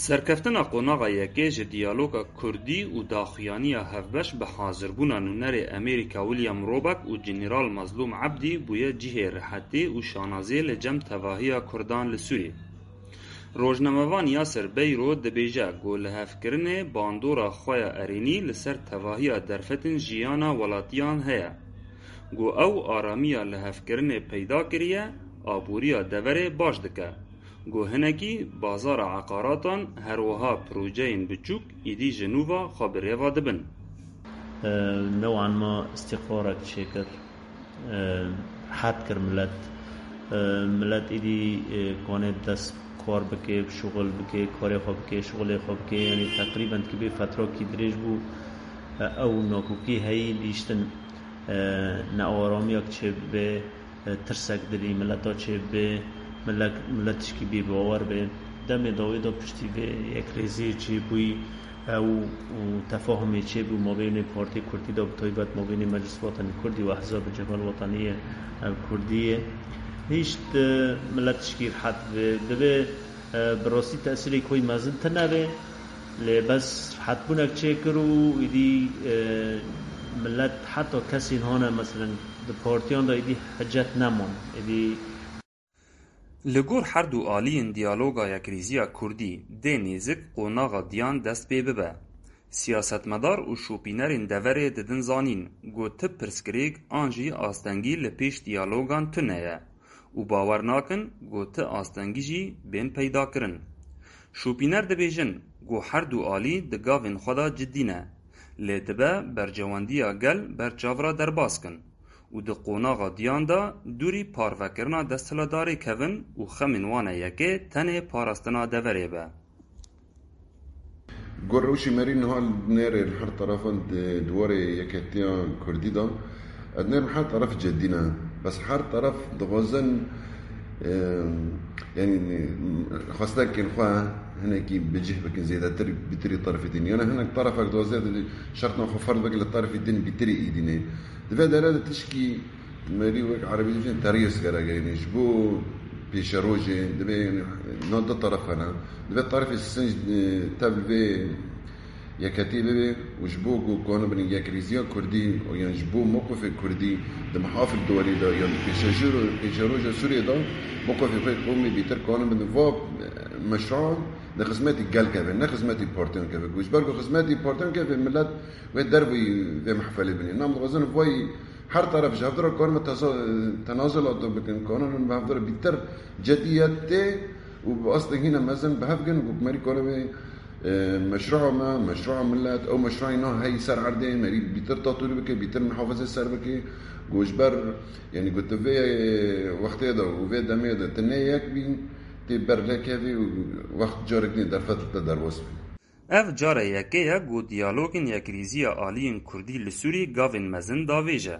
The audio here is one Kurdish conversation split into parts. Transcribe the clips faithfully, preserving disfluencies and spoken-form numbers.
Serkeftina qonaxa yekê ji diyaloga kurdî û daxuyaniya hevbeş bi hazirbûna nûnerê Amerîka William Roback û General Mazlûm Ebdî bûye cihê rihetê û şanaziyê li cem tevahiya kurdan li Sûriyê. Rojnamevan Yasir Beyro dibêje ku lihevkirinê bandora xwe ya erênî li ser tevahiya derfetin jiyana welatiyan heye. Ku ew aramiya lihevkirinê peyda kiriye, aboriya deverê baş dike. Ku hinekî bazara eqaratan her wiha projeyên biçûk îdî ji nû ve xwe bi rê ve dibin. New'an ma îstîqrarek çêkir, rihet kir milet. Milet îdî kanê dest kar bike, şuxul bike, karê xwe bike, şuxulê xwe bike. Yanî teqrîben dikê bê fetrakî dirêj bû, ew nakokî heyî lîştin, nearamiyak çêbibe, tirsek dilî mileta çêbibe, milet tişkî bêbawer be. Demê dawê de piştî vê yekrêziyê çêbûyî ew û tefahumê çêbû mabênê Partiyê Kurdî de, bi taybet mabênê Meclis Watanî Kurdî û Ehzabê Cebhel Wataniyê Kurdî yê. Hîşt milet tişkî rihet be. Divê bi rastî tesîrê koy mezin tine be. Lê bes rihetbûnek çêkir û îdî milet heta kesên hane, meselen, di partiyan de îdî hicet neman. Îdî Li gor her du aliyên diyaloga yekrîziya kurdî dê nêzik qonaxa diyan dest pê bibe. Siyasetmedar û şopînerên deverê didin zanîn ku ti pirsgirêk an jî astengî li pêş diyalogan tune ye û bawer nakin ku ti astengî jî bên peydakirin. Şopîner dibêjin ku her du alî di gavên xwe de cidî ne, lê dibe berjewendiya gel ber çav re derbas kin û di qonaxa diyan de dûrî parvekirina desthilatdarê kevin û xemên wan e yekê tenê parastina deverê be. Gor rewşî merî niha nêrê li her terefan di warê yeketiya kurdî de, ez nêrim her teref cedî ne. Bes her teref dixwazin, e, yanî xwestekên xwe hinekî bi cih bikin, zêdetir bîtirî terefê din. Yanî hinek terefek dixwaze şertna xwe ferz bike li terefê din bîtirî îdînê. Di vê dere de tişkî Merî wek erebî dibêjin teriyes gere gerîne. Ji bo pêşerojê divê, yanî, na du teref hene. Divê terefê sinc, e, tev vê yeketî bibe û ji bo ku kanibin yekrêziya kurdî yan ji bo mewqifê kurdî di mihafil duwarî de yan pêşejir, pêşeroja Sûriyê de mewqifê xwe qewmê bîtir kanibin va, e, meşruan di xizmetî gel keve, ne xizmetî partiyan keve. Ku ji ber ku xizmetî partiyan keve, milet wê dervî vê mehfelê binê. Nam dixwazin vay Her teref ji hevdira karime teza-, tenazulata bikin, kanûn bi hevdira bîtir cediyetê û bi astengîna mezin bi hev gin û merî kanê wê, e, meşrua me, meşrua millet, ew meşruayê na heyî ser erdê, merî bîtir tatûrî bike, bîtir mihafizê ser bike, ku ji ber, yanî ku tu vê wextê de û vê demê de tu ne yek bî, tê ber lê kevî û wext carek nê derfet li te derbas bî. Ev cara yekê ye ku diyalogên yekrîziya aliyên kurdî li Sûrî gavên mezin davêje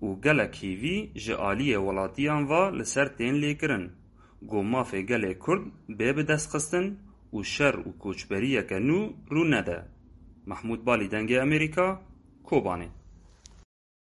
û gelek hêvî ji aliyê welatiyan ve li ser tên lêkirin ku mafê gelê kurd bê bidestxistin û şer û koçberiyeke nû rû nede. Mehmûd Balî, Dengê Amerîka, Kobanê.